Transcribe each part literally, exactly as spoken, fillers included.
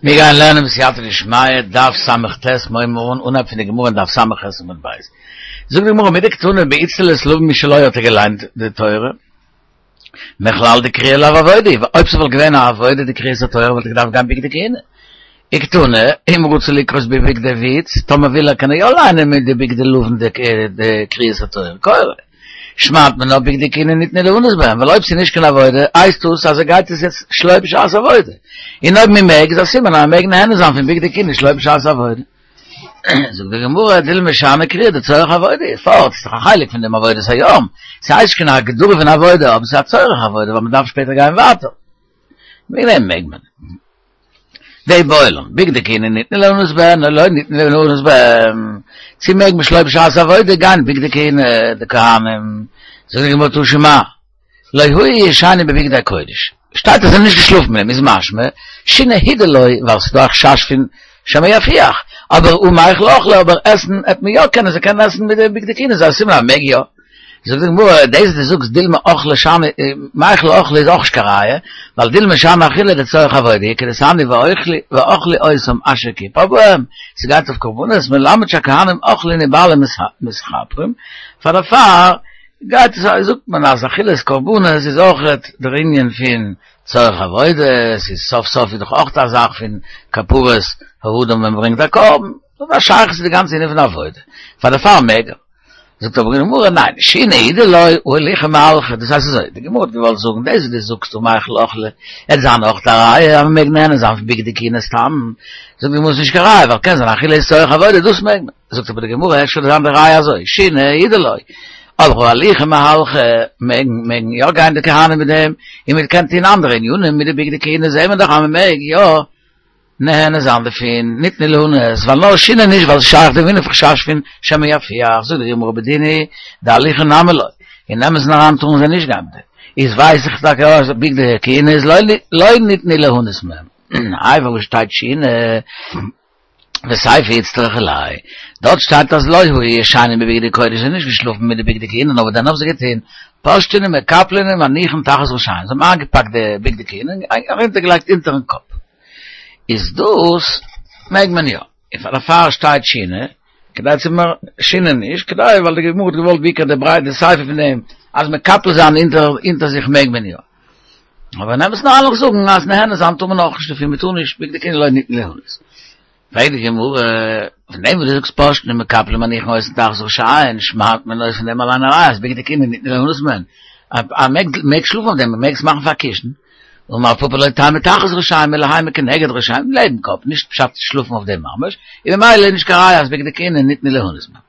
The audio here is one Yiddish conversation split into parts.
מיר גייען לערנען בסייעתא דשמיא, דף ס"ט, מוים אן, אנהייב פון די גמרא אין דף ס"ח עמוד ב'. זאגט די גמרא, מדקתני באיצטלית לבן משלו האט ער געליינט די תורה, מכלל דקריאה לאו עבודה, אויב ס'וואלט געווען א עבודה די קריאת התורה וואלט ער געדארפט גיין בגדי כהונה. וקתני, אם רוצה לקרות בבגדי בוץ, טאמער וויל ער קען ער יא ליינען מיט די בגדי לבן די קריאת התורה, קורא. שמעת מינה בגדי כהונה ניתנו ליהנות בהם, ווייל אויב ס'איז נישט קיין עבודה, הייסט דאס אז ער גייט עס יעצט שלא בשעת עבודה. און אויב מען מעג, איז א סימן אז מען מעג נהנה זיין פון בגדי כהונה שלא בשעת עבודה. זאגט די גמרא, דילמא שאני קריאה דצורך עבודה, פארט, ס'איז דאך א חלק פון דעם עבודת היום, ס'הייסט נישט קיין הגדרה פון עבודה, אבער ס'איז א צורך עבודה, ווייל מ'דארף שפעטער גיין ווייטער. וועגן דעם מעג מען. ואיבעיא להו, בגדי כהונה ניתנו ליהנות בהן או לא ניתנו ליהנות בהן, צו מעג מען שלא בשעת עבודה גיין בגדי כהונה די כהנים, זאגט די גמרא תא שמע, לא היו ישנים בבגדי קודש, שטייט אז זיי זענען נישט געשלאפן מיט דעם איז משמע שינה הוא דלא ווייל ס'איז דא א חשש פון שמא יפיח, אבער הא מיכל אכלי אבער עסן העט מען יא קענען זיי קענען עסן מיט די בגדי כהונה איז א סימן אז מ'מעג יא. זאגט די גמרא, דאס וואס דו זאגסט דילמא אכלי שאני, מיכל אכלי איז אויך נישט קיין ראיה, ווייל דילמא שאני אכילה דצורך עבודה, כדתניא ואכלו אותם אשר כיפר בהם, ס'גייט אויף קרבנות, מלמד שהכהנים אוכלין ובעלים מתכפרים, פאר דערפאר גייט עס זאגט מען אז אכילת קרבנות איז אויך דער ענין פון צורך עבודה, ס'איז סוף סוף איז דאך אויך א זאך פון כפרת האדם ווען מ'ברענגט א קרבן, דאס האט א שייכות צו די גאנצע ענין פון עבודה, פאר דערפאר מעג ער. זאגט אבער די גמרא, ניין, שינה הוא דלא, הא הלוכי מהלכי, דאס הייסט אזוי, די גמרא האט געוואלט זאגן, דאס וואס דו זאגסט הא מיכל אכלי, עט זיין אויך א ראיה אז מ'מעג נהנה זיין פון בגדי כהונה סתם, זאגט די גמרא ס'איז נישט קיין ראיה, ווייל קען זיין אכילה איז צורך עבודה, דאס מעג מען, זאגט אבער די גמרא, אפשר זיין די ראיה אזוי, שינה הוא דלא, אבער הא הלוכי מהלכי, מעגן מעגן יא גיין די כהנים מיט דעם, און מען קען טון אנדערע ענינים מיט די בגדי כהונה, זעהן מיר דאך אז מען מעג יא נהנה זיין דערפון, ניתנו ליהנות, ווייל נאר שינה נישט ווייל ס'שייך דעם ענין פון חשש פון שמא יפיח, זאגט די גמרא בדין הוא דהליכה נמי לא, אין אמת'ן אריין טארן זיי נישט גיין מיט דעם, איז ווייס איך טאקע אז בגדי כהונה איז לא ניתנו ליהנות מהם, איי וואו שטייט שינה? וסיפא איצטריכא ליה, דארט שטייט אז לא היו ישנים בבגדי קודש, זיי זענען נישט געשלאפן מיט די בגדי כהונה, נאר וואס דען האבן זיי געטון? פושטין ומקפלין ומניחין תחת ראשיהן, זיי האבן איינגעפאקט די בגדי כהונה און ארונטערגעלייגט אונטערן קאפ. איז דאס מעג מען יא, און פאר דערפאר שטייט שינה, כדי צו מ שינה נישט, כדי ווייל די גמרא האט געוואלט בעיקר די ברייט די סיפא פון דעם אז מקפל זיין אונטער אונטער זיך מעג מען יא. אבער אין אמת'ן אריין לאמיך זאגן אז נהנה זיין טאר מען אויך נישט דערפון, מען טאר נישט בגדי כהונה לא ניתנו ליהנות. פרעגט די גמרא, פון דעם וואס דו זאגסט פושטין ומקפלין ומניחין אותן תחת ראשיהן, שמעט מען אויס פון דעם אליין א ראיה אז בגדי כהונה ניתנו ליהנות מהן, אז מען מעג שלאפן אויף דעם, מען מעג עס מאכן פאר א קישן, אמר רב פפא לא תימא תחת ראשיהן אלא האי מכנגד ראשיהן, לעבן קאפ, נישט פשט שלאפן אויף דעם ממש, און ממילא איז נישט קיין ראיה אז בגדי כהונה ניתנו ליהנות מהן.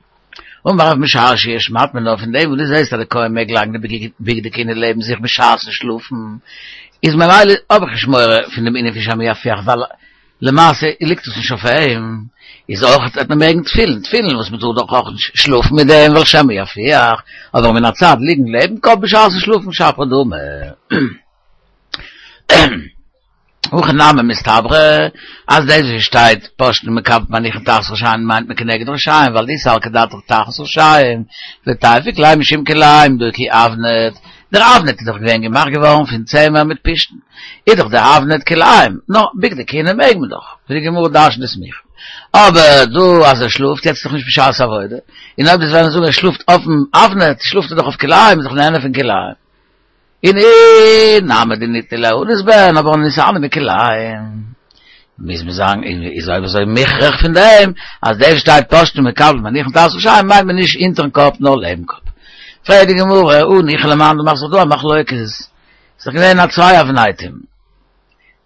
אמר רב משרשיא שמעט מינה פון דעם וואס דו זעסט אז די כהן מעג לייגן די בגדי כהונה לעבן זיך בשעת'ן שלאפן, איז ממילא האב איך נישט מורא פון דעם ענין פון שמא יפיח ווייל למעשה ליגט עס נישט אויף אים, איז אויך וועט מען מעגן תפילין, תפילין וואס מען טאר דאך אויך נישט שלאפן מיט דעם ווייל שמא יפיח, אבער מן הצד ליגן לעבן קאפ בשעת'ן שלאפן שפיר דמי. הכי נמי מסתברא אז דאס וואס שטייט פושטין ומקפלין ומניחין תחת ראשיהן מיינט מען כנגד ראשיהן ווייל דאי סלקא דעתך תחת ראשיהן ותיפוק ליה משום כלאים דהא כי אבנט דער אבנט איז דאך געווען געמאכט געווארן פון צמר מיט פשתן איז דאך דער אבנט כלאים נו בגדי כהונה מעג מען דאך ווי די גמרא דרש'נט די סמיכה אבער דא אז ער שלאפט יעצט איז דאך נישט בשעת עבודה און אויב דאס וועלן זאגן ער שלאפט אויפן אבנט שלאפט ער דאך אויף כלאים איז דאך נהנה פון כלאים. און אי נמי דניתנו ליהנות בהן אבער נתענו מכלאים מוז מען זאגן איז אויב אזוי מוכרח פון דעם אז דער שטייט פושטין ומקפלין ומניחין תחת ראשיהן מיינט מען נישט אונטערן קאפ נאר לעבן קאפ. פרעגט די גמרא הניחא למאן דאמר ס'איז דא א מחלוקת ס'איז דאך געווען א צוויי אבנטים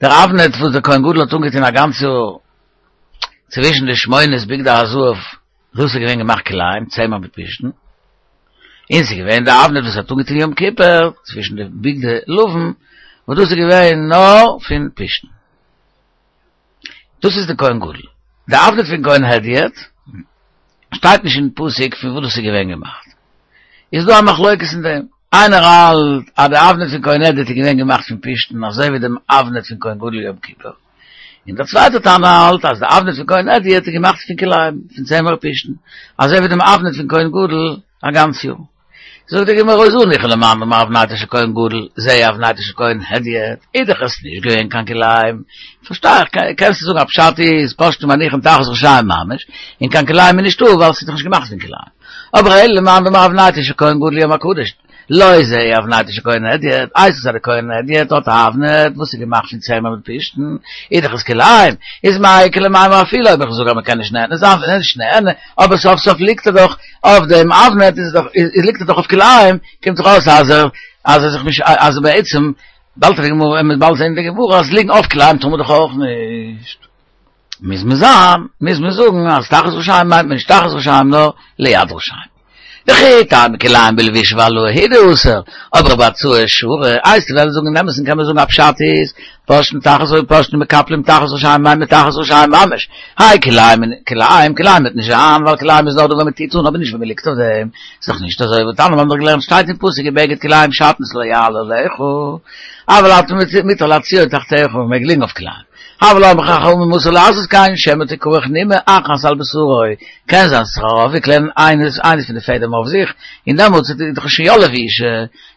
דער אבנט וואס דער כהן גדול האט אנגעטון א גאנץ יאר צווישן די שמונת בגדי הזהב דאס איז געווען געמאכט כלאים צמר מיט פשתן און ס'איז געווען די אבנט וואס האט אנגעטון יום כיפור צווישן די בגדי לבן, וואס דאס איז געווען נאר פון פשתן. דאס איז די כהן גדול. די אבנט פון כהן הדיוט שטייט נישט אין פסוק פון וואס דאס איז געווען געמאכט. איז דא א מחלוקת אין דעם. איינער האלט אז די אבנט פון כהן הדיוט איז געווען געמאכט פון פשתן אזוי ווי דעם אבנט פון כהן גדול יום כיפור. און דער צווייטער תנא האלט אז די אבנט פון כהן הדיוט איז געמאכט פון כלאים, פון צמר פשתן, אזוי ווי דעם אבנט פון כהן גדול א גאנץ יאר. זאגט די גמרא זו ניחא למאן דאמר אבנטו של כהן גדול, זו אבנטו של כהן הדיוט, איז דאך עס נישט געווען קיין כלאים. פארשטיי איך, קענסט זאגן א פשט איז פושטים מניחן תחת ראשיהם ממש, און קיין כלאים איז נישטא, ווייל ס'איז דאך נישט געמאכט פון כלאים. אבער אלא למאן דאמר אבנטו של כהן גדול ליום הקדוש, לא זו אבנטו של כהן הדיוט, הייסט עס אז דער כהן הדיוט האט א אבנט וואס איז געמאכט פון צמר מיט פשתן, איז דאך עס כלאים, איז מאי איכא למימר אפילו אויב איך זאג אז מ'קען נישט נהנה זיין, ווען נישט נהנה, אבער סוף סוף ליגט ער דאך אויף דעם אבנט, איז דאך איז ליגט ער דאך אויף כלאים, קומט דאך אויס אז ער אז ער זיך נישט אז בעצם באלד די גמרא מ'וועט באלד זען די גמרא אז ליגן אויף כלאים טאר מען דאך אויך נישט. מוז מען זיין, מוז מען זאגן אז תחת ראשיהם מיינט מען נישט תחת ראשיהם נאר ליד ראשיהם. וכי תימא כלאים בלבוש והעלאה הוא דאסור, אבער בהצעה שרי, הייסט וועלן זאגן אין אמת'ן קען מען זאגן א פשט איז, פושטין תחת פושטין מקפלים תחת ראשיהם מיינט מען תחת ראשיהם ממש, האי כלאים כלאים כלאים וועט נישט זיין ווייל כלאים איז נאר דא ווען מען טוט אן אבער נישט ווען מען ליגט אויף דעם, איז דאך נישט אזוי והתניא מיר האבן דאך געלערנט שטייט אין פסוק ובגד כלאים שעטנז לא יעלה עליך, אבל אתה מותר להציעו תחתיך מען מעג ליגן אויף כלאים. אבל אמרו חכמים אסור לעשות כן שמא תכרך נימא אחת על בשרו, קען זיין ס'זיך ארויפוויקלען איינס איינס פון די פעדעם אויף זיך, און דעמאלטס איז דאך שוין יא לבישה,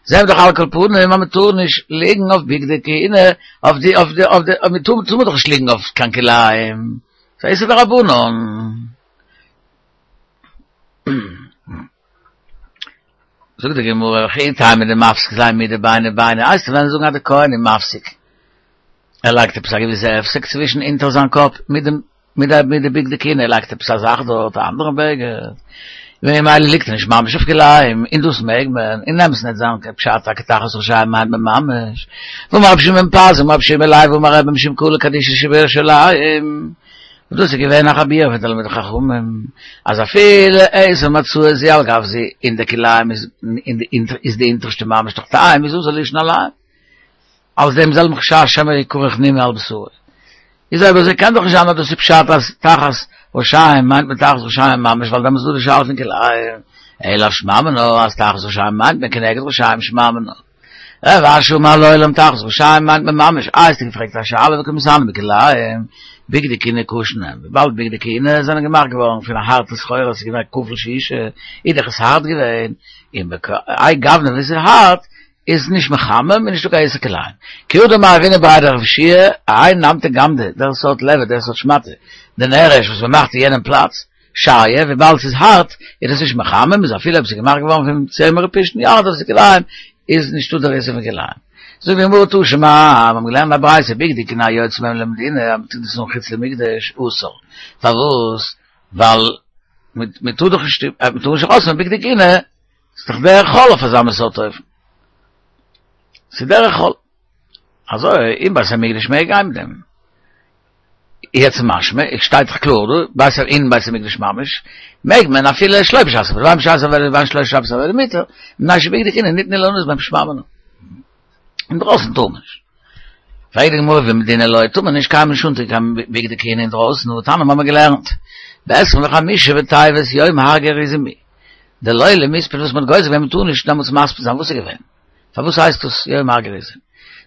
זעהן מיר דאך על כל פנים אז מ'טאר נישט ליגן אויף בגדי כהונה, אויף די אויף די אויף די מ'טאר טאר מען דאך נישט ליגן אויף קיין כלאים, ס'איז איסור דרבנן. זאגט די גמרא, וכי תימא דמפסיק ליה מידי ביני ביני, הייסט וועלן זאגן אז די כהן איז מפסיק, ער לייגט עפעס א געוויסע הפסק צווישן אונטער זיין קאפ מיט דעם מיט די מיט די בגדי כהונה, ער לייגט עפעס א זאך דארט, א אנדערע בגד, ממילא ליגט ער נישט ממש אויף כלאים, און דאס מעג מען, אין אמת'ן וועט זיין קיין פשט טאקע תחת ראשיהם מיינט מען ממש, ואמר רבי שמעון בן פזי אמר רבי יהושע בן לוי אמר רבי משום קהלא קדישא שבירושלים, און דאס איז געווען א חבורה פון תלמידי חכמים, אז אפילו עשר מצעות זו על גב זו, אין די כלאים איז איז די אונטערשטע ממש תחתיהם איז אסור לישון עליהם. אלס דעם זעלבן חשש שמא יכרך נימא על בשרו. איז אויב אזוי קען דאך נישט זיין אז דאס איז פשט אז תחת ראשיהם מיינט מען תחת ראשיהם ממש ווייל דעמאלטס איז דא די שאלה פון כלאים, אלא שמע מינה אז תחת ראשיהם מיינט מען כנגד ראשיהם שמע מינה. רב אשי אמר לעולם תחת ראשיהם מיינט מען ממש, איי האסטו געפרעגט א שאלה וקא מתעני בכלאים, בגדי כהונה קשין הן, וויבאלד בגדי כהונה זענען געמאכט געווארן פון א הארטע סחורה ס'איז געווען כפול ששה, איז דאך עס הארט געווען, און בכהאי גוונא וואס איז הארט איז נישט מחמם און נישטא קיין איסור כלאים. כי הא דאמר רב הונא בריה דרב יהושע האי נמטא גמדא, דער סארט לבד, דער סארט שמאטע, דנרש וואס מ'מאכט אין יענעם פלאץ, שריא, וויבאלד ס'איז הארט, איז דאס נישט מחמם, איז אפילו אויב ס'איז געמאכט געווארן פון צמר ופשתן, יא, דאס איז כלאים, איז נישטא דער איסור פון כלאים. זאגט די גמרא תא שמע, מיר האבן געלערנט א ברייתא, בגדי כהונה היוצאים בהם למדינה, אז מ'טוט דאס אן חוץ למקדש, אסור. פארוואס? ווייל מ'טאר דאך נישט, מ'טאר נישט ארויס מיט בגדי כהונה, ס'איז דאך דרך חול אויף אזא מין סארט אופן. ס'איז דרך חול. אזוי אין בית המקדש מעג גיין מיט דעם. יעצט משמע, עס שטייט דאך קלאר דא, בית אין בית המקדש ממש, מעג מען אפילו שלא בשעת עבודה, בין בשעת עבודה ובין שלא בשעת עבודה מותר, מפני שבגדי כהונה ניתנו ליהנות בהם שמע מינה. אינדרויסן טאר מען נישט. פרעגט די גמרא ובמדינה לא טאר מען נישט קיינמאל נישט אנטון קיין בגדי כהונה אינדרויסן, והתניא מיר האבן געלערנט, בעשרים וחמישה בטבת יום הר גריזים הוא, דלא למספד וואס מען האט גוזר געווען מען טאר נישט דעמאלטס מספיד זיין, וואס איז געווען? פארוואס הייסט דאס יום הר גריזים?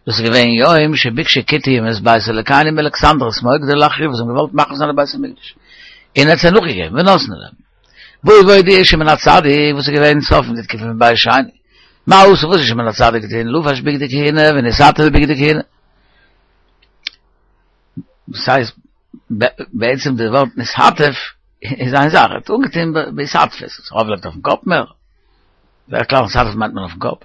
דאס איז געווען יום שביקשו כותים את בית אלוקינו מאלכסנדרוס מוקדון להחריבו וואס האבן געוואלט מחריב זיין די בית המקדש און ער האט זיי נאכגעגעבן ונתנו להם. בא והודיע שמעון הצדיק וואס איז געווען סוף פון די תקופה פון בית שני. מה עשה וואס איז שמעון הצדיק געטון לבש בגדי כהונה ונתעטף בבגדי כהונה. דאס הייסט בעצם די ווארט נתעטף איז איין זאך, ער האט אנגעטון בהתעטפות, ארויפגעלייגט אויפן קאפ מער. בדרך כלל נתעטף מיינט מען אויפן קאפ.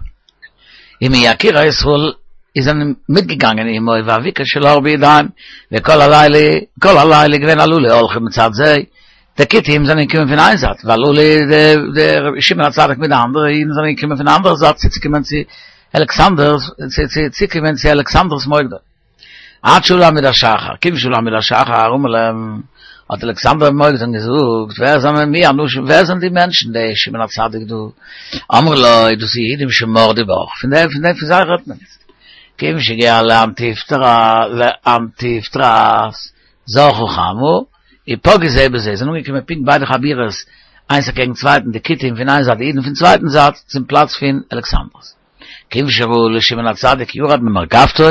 ומיקירי ישראל איז זענען מיטגעגאנגען עמו ואבוקה של אור בידיהם, וכל הלילה, כל הלילה געווען הללו הולכים מצד זה, די כותים זענען געקומען פון איין זייט, והללו די שמעון הצדיק מיט די אנדערע אידן זענען געקומען פון די אנדערע זייט צוצוקומען צו אלכסנדר'ס, צוקומען צו אלכסנדר'ס מוקדון. עד שעלו עמוד השחר, כיוון שעלו עמוד השחר, אמר להם, האט אלכסנדר מוקדון געזאגט, ווער זענען מי האנשים, ווער זענען די מענטשן, די שמעון הצדיק דא? אמרו לו, דאס איז יהודים שמרדו בך, פון דעם, פון דעם, פון זיי רעדט מען איצט. כיוון שהגיע לאנטיפטרס, זרחה חמה, ופגעו זה בזה, זענען אנגעקומען פונקט ביידע חבורות, איינס אקעגן צווייטן, די כותים פון איין זייט, די אידן פון צווייטן זייט, צום פלאץ פון אלכסנדרוס. כיוון שראו לשמעון הצדיק ירד ממרכבתו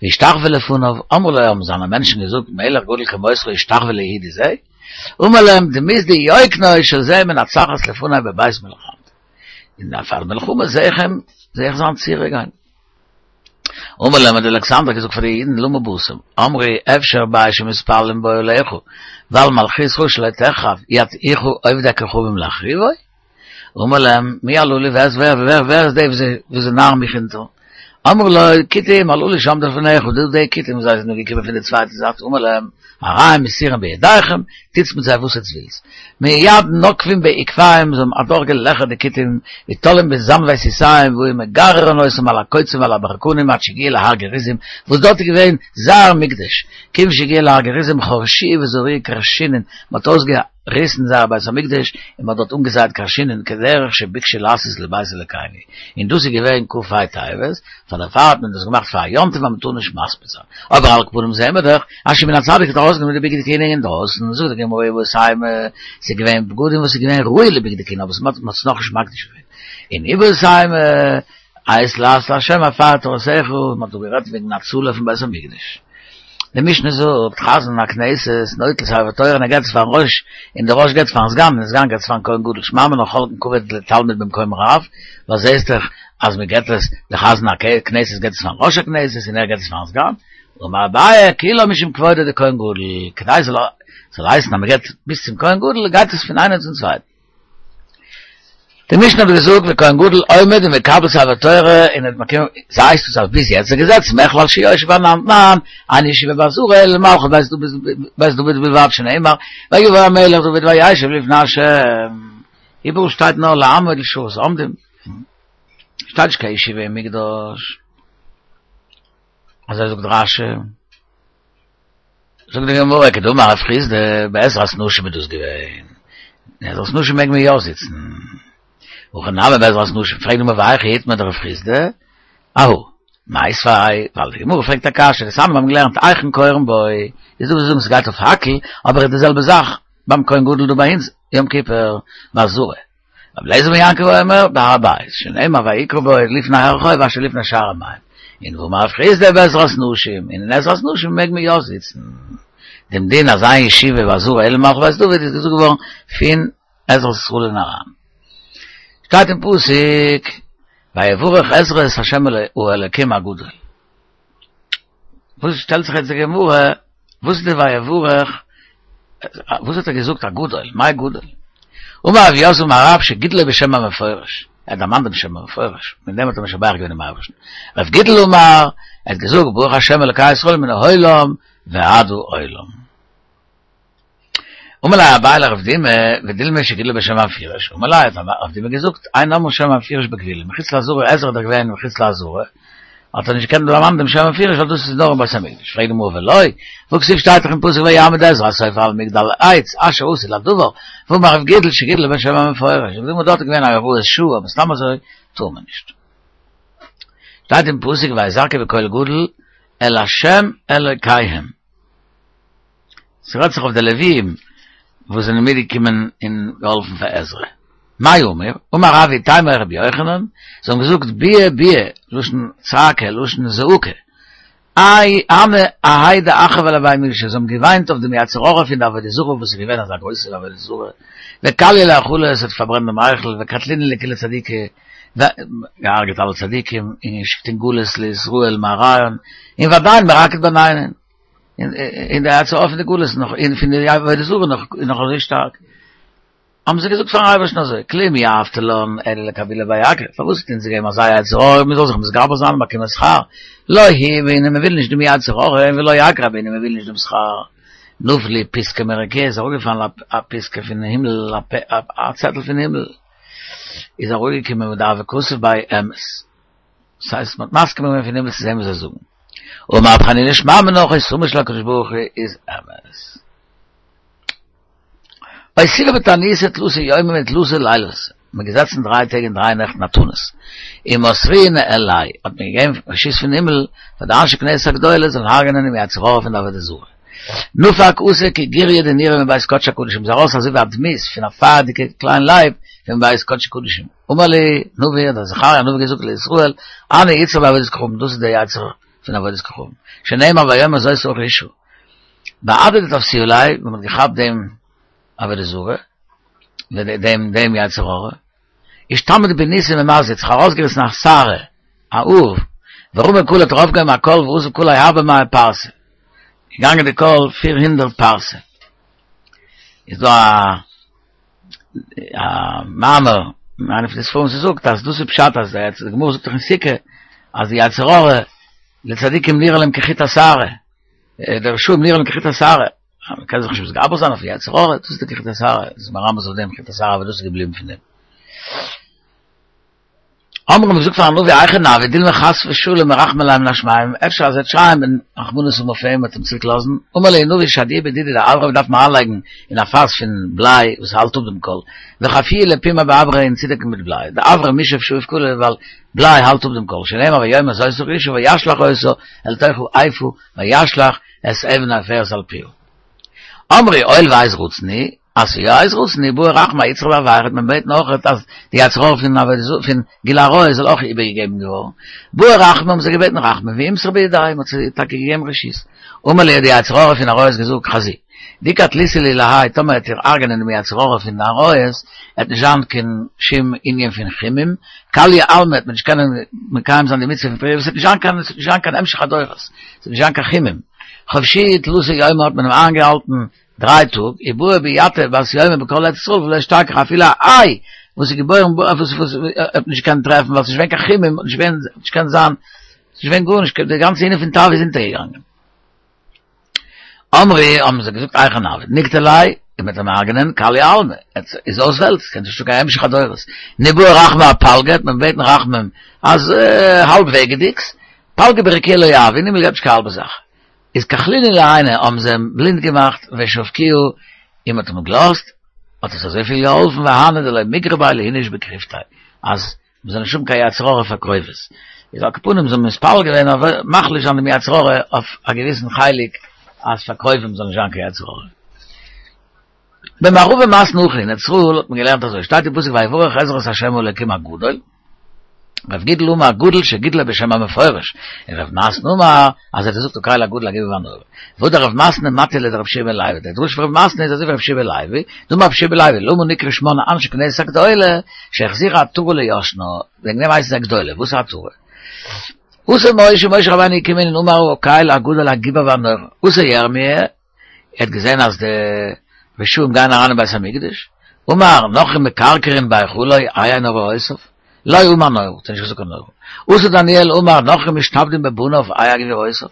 והשתחווה לפניו, אמרו לו האבן זיינע מענטשן געזאגט מלך גדול כמותך ישתחווה ליהודי זה? אמר להם דמות דיוקנו של זה מנצחת לפני בבית מלחמתי. אין דער פאר מלחמה זעה איך אים, זעה איך זיין צירה גיין. אמר להם האט אלכסנדר געזאגט פאר די אידן למה באתם, אמרי אפשר בית שמתפללים בו עליך, ועל מלכותך שלא תחרב, יטעוך עובדי כוכבים להחריבו? אמר להם מי הללו ווער ווער ווער ווער איז די וואס זיי נארן מיך אונטער? אמרו לו כותים הללו שעמדו לפניך, דא די כותים זיי זענען געקומען פון די צווייטע זייט, אמר להם הרי הם מסורים בידיכם, טוטס מיט זיי וואס עטס ווילטס. מיד נוקבין בעקביהם, זיי האבן אדורכגעלעכערט די כותים, ותולים בזנבי סוסיהם, והיו מגררין אותם על הקוצים ועל הברקנים עד שהגיעו להר גריזים, וואס דארט איז געווען זייער מקדש, כיוון שהגיעו להר גריזים חרשוהו וזרעוהו כרשינין, מען האט אויסגעריסן זייער בית המקדש, און מען האט דארט אנגעזייט כרשינין כדרך שביקשו לעשות לבית אלוקינו, און דאס איז געווען כ"ה טבת, פאר דערפאר האט מען דאס געמאכט פאר א יום טוב אז מען טאר נישט מספיד זיין. אבער על כל פנים זעהן מיר דאך אז שמעון הצדיק האט ארויסגענומען די בגדי כהונה אינדרויסן, זאגט די גמרא איבעית אימא, ס'איז געווען בגדים וואס איז געווען ראוי לבגדי כהונה אבער מ'האט עס נאכנישט מקדיש געווען, און איבעית אימא, עת לעשות לה' הפר תורתך, מ'האט דא גערעדט וועגן הצלה פון בית המקדש. די משנה זאגט, חזן הכנסת נוטל ספר תורה און ער געבט עס פארן ראש, און דער ראש געבט עס פארן סגן, און דער סגן געבט עס פארן כהן גדול, שמע מינה חולקין כבוד לתלמיד במקום רב, ווייל זעהסט דאך אז מען געבט עס, דער חזן הכנסת געבט עס פארן ראש הכנסת און ער געבט עס פארן סגן, אמר אביי, כולה משום כבודו דכהן גדול, כדי ס'זאל זאל הייסן אז מען געבט ביז צום כהן גדול, גייט עס פון איינער צום צווייטן. די משנה האט געזאגט וכהן גדול עומד ומקבל ספר תורה און האט מקיים ס'הייסט עס אז ביז יעצט איז געזעצן מכלל שיושב אנן תנן אין ישיבה בעזרה אלא למלכות בית דוד בית דוד בלבד שנאמר ויבא המלך דוד וישב לפני השם איבעראל שטייט נאר לעמוד לשורת עומדים שטייט נישט קיין ישיבה אין מקדש אזוי זאגט רשי זאגט די גמרא כדאמר רב חסדא בעזרת נשים איז דאס געווען, אין עזרת נשים מעג מען יא זיצן, הכא נמי בעזרת נשים, פרעגט די גמרא והיכא איתמר דרב חסדא, אהא, מיתיבי, ווייל די גמרא פרעגט א קשיא, דתניא מיר האבן געלערנט היכן קורין בו, איז דא וואס זאגן ס'גייט אויף הקהל, אבער איז די זעלבע זאך ביים כהן גדול דא ביי אונז יום כיפור בעזרה, רבי אליעזר בן יעקב אומר בהר הבית, שנאמר ויקרא בו לפני הרחוב אשר לפני שער המים, און והאמר רב חסדא בעזרת נשים, און אין עזרת נשים מעג מען יא זיצן. דעם דין אז אין ישיבה בעזרה אלא למלכות בית דוד איז געזאגט געווארן פון עזרת ישראל און אריין. שטייט אין פסוק ויברך עזרא את ה' האלקים הגדול. וואס שטעלט זיך יעצט די גמרא, וואס איז די ויברך, וואס האט ער געזאגט הגדול, מאי גדול? אמר רב יוסף אמר רב שגידלו בשם המפורש, ער האט דערמאנט דעם שם המפורש, מיט דעם האט ער משבח געווען דעם אייבערשטן. רב גידל אמר, ער האט געזאגט ברוך השם אלוקי ישראל מן העולם ועד העולם. אמר ליה אביי לרב דימי, ודילמא שגידלו בשם המפורש, אמר ליה האט רב דימי געזאגט, אין אומרין שם המפורש בכבולים, מחוץ לעזרה, עזרא איז דאך געווען מחוץ לעזרה, האט ער נישט געקענט דערמאנען דעם שם המפורש ווייל דאס איז נאר אין בית המקדש, פרעגט די גמרא ולא, והכתיב שטייט דאך אין פסוק ויעמוד עזרא הסופר על מגדל העץ אשר עשו לדבר, והאמר רב גידל שגידלו בשם המפורש, זאגט די גמרא דארט איז געווען א הוראת שעה אבער סתם אזוי טאר מען נישט. שטייט אין פסוק ויזעקו בקול גדול אל ה' אלוקיהם. ס'רעדט זיך אויף די לוויים וואס זענען מיטגעקומען און געהאלפן פאר עזרא. מאי אמור? אמר רב ואיתימא רבי יוחנן, זיי האבן געזאגט ביע ביע, לשון צעקה, לשון זעקה. איי הני אהאי דאחרבה לבי מקדשא, זיי האבן געוויינט אויף דעם יצר הרע פון די עבודה זרה וואס איז געווען אזא גרויסע עבודה זרה, וקלייה להיכלא, עס האט פארברענט דעם היכל, וקטלינהו לכולהו צדיקי, געהארגעט אלע צדיקים, און געשיקט אין גלות לישראל מארעיהון, און ועדיין מרקד בעינינן. און די יצר הרע פון די גלות נאך און פון די עבודה זרה נאך איז נאך אזוי שטארק. האבן זיי געזאגט פארן אייבערשטן אזוי, כלום יהבת לן אלא לקבולי בי אגרא, פארוואס האט אונז געגעבן אזא יצר הרע מען זאל זיך מתגבר זיין און באקומען שכר, לא הוא בעינן מען וויל נישט דעם יצר הרע און ולא אגרא בעינן מען וויל נישט דעם שכר. נפלה פתקא מרקיעא איז אראפגעפאלן א פתקא פון הימל א צעטל פון הימל איז אראפגעקומען ודהוה כתיב ביה אמת. דאס הייסט מ'האט מסכים געווען פון הימל צו זען וואס זיי זאגן. אמר רב חנינא שמע מינה חותמו של הקדוש ברוך הוא איז אמת. אותיבו בתעניתא תלתא יומי ותלתא לילוותא, מ'איז געזעצן דריי טעג און דריי נעכט אין א תענית, ומסרוה ניהליה, האט מען געגעבן רשות פון הימל פאר די אנשי כנסת הגדולה זאלן הרג'נען דעם יצר הרע פון די עבודה זרה. נפק אתא כגוריא דנורא מבית קדשי הקדשים, איז ארויס אזוי ווי א דמות פון א פייערדיגע קליין לייב פון בית קדשי קדשים. אמר להו נביא, האט זכריה הנביא געזאגט לישראל, הני יצרי בעבודת כוכבים, דאס איז דער יצר פון עבודת כוכבים, שנאמר ויאמר זאת רוח האשה. בהדי דתפסוה ליה, ווען מען האט געכאפט דעם עבודה זרה, דעם דעם יצר הרע, אישתמיט בניסים ומזיק, זיך ארויסגעריסן א שערה, א האר, ורמי קלא האט ארויפגעהויבן א קול ואזל קליה ארבע מאה פרסה, געגאנגען די קול פיר הונדערט פרסה. איז דא א א מאמר אין איינע פון די ספרים ס'זאגט אז דאס איז פשט אז די גמרא זאגט דאך אין סוכה אז די יצר הרע לצדיקים נראה להם כחוט השערה, די רשעים נראה להם כחוט השערה, מען קען זיך נישט מתגבר זיין אויפן יצר הרע, דאס איז די כחוט השערה, דאס איז מרמז אויף דעם חוט השערה וואס דאס איז געבליבן פון דעם. אמרו האבן געזאגט פארן נביא היכי נעביד דילמא חס ושלום מרחמי ליה מן השמים, אפשר אז ער וועט שרייען ווען רחמנות האבן אויף אים וועט אים צוריק לאזן, אמר להו נביא שדיוהו בדידא דאברא דארף מען אריינלייגן אין א פאס פון בליי וואס האלט אפ דעם קול, וחפיוה לפומיה באברא און צודעקן מיט בליי, דאברא מישף שפיף קלא ווייל בליי האלט אפ דעם קול, שנאמר ויאמר זאת הראשה וישלך אותה אל תוך האיפה וישלך את אבן העופרת על פיה. אמרו הואיל ועת רצון היא, אז ס'איז יא עת רצון היא, בעו רחמי אאיצטריך בעבירה, מען בעט נאך אז די יצר הרע פון עבודה זרה פון גילוי עריות זאל אויך איבערגעגעבן געווארן, בעו רחמי האבן זיי געבעטן רחמים ואימסרו בידייהו, מ'האט זיי טאקע געגעבן רשות. אמר להו די יצר הרע פון עריות געזאגט חזו, דאי קטליתו לי להאי טאמער העט איר הרג'נען דעם יצר הרע פון עריות, העט נישט זיין קיין שום ענין פון חימום, כליא עלמא העט מען נישט קענען מקיים זיין די מצוה פון פריה, ס'וועט נישט זיין קיין ס'וועט נישט זיין קיין המשך הדורות, ס'וועט נישט זיין קיין חימום. חבשוהו תלתא יומי האט מען אים איינגעהאלטן דריי טאג, ובעא ביאתא בת יומא בכל ארץ ישראל ולא אשתכח אפילו א איי וואס איז געבוירן וואס וואס האט מען נישט געקענט טרעפן ווייל ס'איז נישט געווען קיין חימום, נישט געווען נישט געקענט זיין, ס'איז נישט געווען גארנישט, די גאנצע ענין פון תאווה איז אונטערגעגאנגען. אמרי האבן זיי געזאגט היכי נעביד נקטליה, און מ'וועט אים הרג'נען כליא עלמא, איז אויס וועלט, ס'קען נישטא קיין המשך הדורות, ניבעי רחמי אפלגא, וועט מען בעטן רחמים אז האלב וועגעדיגס, פלגא ברקיעא לא יהבו, אין הימל געבט נישט קיין האלבע זאך, איז כחלינהו לעינא האבן זיי אים בלינד געמאכט ושבקוהו, און מ'האט אים געלאזט, האט עס אזויפיל געהאלפן והני דלא מיגרי ביה לאיניש בקריבתיה, אז מ'זאל נישט האבן קיין יצר הרע פאר קרובות. איז על כל פנים זיי האבן מתפלל געווען אויף מחליש זיין דעם יצר הרע אויף א געוויסן חלק אז פאר קרובים זאל נישט זיין קיין יצר הרע. במערבא מתנו הכי אין ארץ ישראל האט מען געלערנט אזוי, שטייט אין פסוק ויברך עזרא את ה' האלקים הגדול, רב גידל אמר גדול שגידלו בשם המפורש, און רב מתנה אמר אז ער האט געזאגט הקל הגדול הגיבור והנורא. והדר רב מתנה מטי לדרב יהושע בן לוי, דער דרש פון רב מתנה איז אזוי ווי רב יהושע בן לוי, דאמר רב יהושע בן לוי, למה נקראו שמן אנשי כנסת הגדולה, שהחזירה עטרה ליושנה, וועגן דעם הייסן זיי גדולה, וואס איז עטרה? אתא משה, משה רבינו איז געקומען און אמר הקל הגדול הגיבור והנורא, אתא ירמיה, ער האט געזען אז די רשעים גייען אריין אין בית המקדש, אמר נכרים מכרכרין בהיכלו איה נוראותיו, לא אמר נורא, האט ער נישט געזאגט קיין נורא. אתא דניאל אמר נכרים משתעבדים בבניו איה גבורותיו,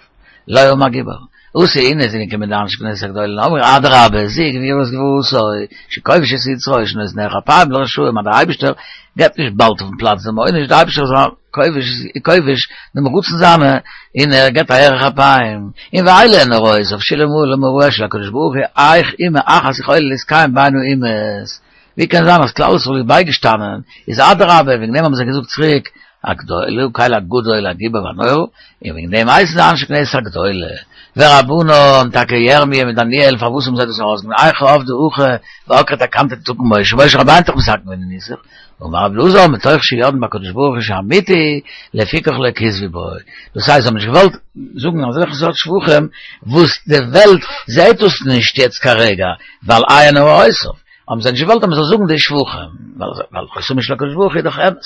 לא אמר גיבור. אתו אינהו זענען געקומען די אנשי כנסת הגדולה און אמרו אדרבה זו גבורת גבורתו שכובש את יצרו שנותן ארך אפים לרשעים אז דער אייבישטער געבט נישט באלד אויפן פלאץ דעם עונש דער אייבישטער איז כובש כובש דעם רצון זיינע און ער געבט א ארך אפים און ואלה נוראותיו שאלמלא מוראו של הקדוש ברוך הוא איך אומה אחת יכולה להתקיים בין האומות ווי קען זיין אז כלל ישראל איז בייגעשטאנען, איז אדרבה, וועגן דעם האבן זיי געזאגט צוריק, הגדול, הקל הגדול הגיבור והנורא, און וועגן דעם הייסן זיי אנשי כנסת הגדולה. ורבנן, טאקע ירמי' מיט דניאל, פארוואס האבן זיי דאס ארויסגענומען, היכי עבדי הכי ועקרי תקנתא דתקן משה, משה רבינו האט דאך מתקן געווען די נוסח, אמר רבי אלעזר, מתוך שיודעין בקדוש ברוך הוא שאמיתי, לפיכך לא כתבו בו. דאס הייסט זיי האבן נישט געוואלט זאגן אזעלכע סארט שבחים וואס די וועלט זעהט דאס נישט יעצט כרגע, ווייל איה נוראותיו. האבן זיי נישט געוואלט אז מען זאל זאגן די שבחים, ווייל חותמו של הקדוש ברוך הוא איז דאך אמת.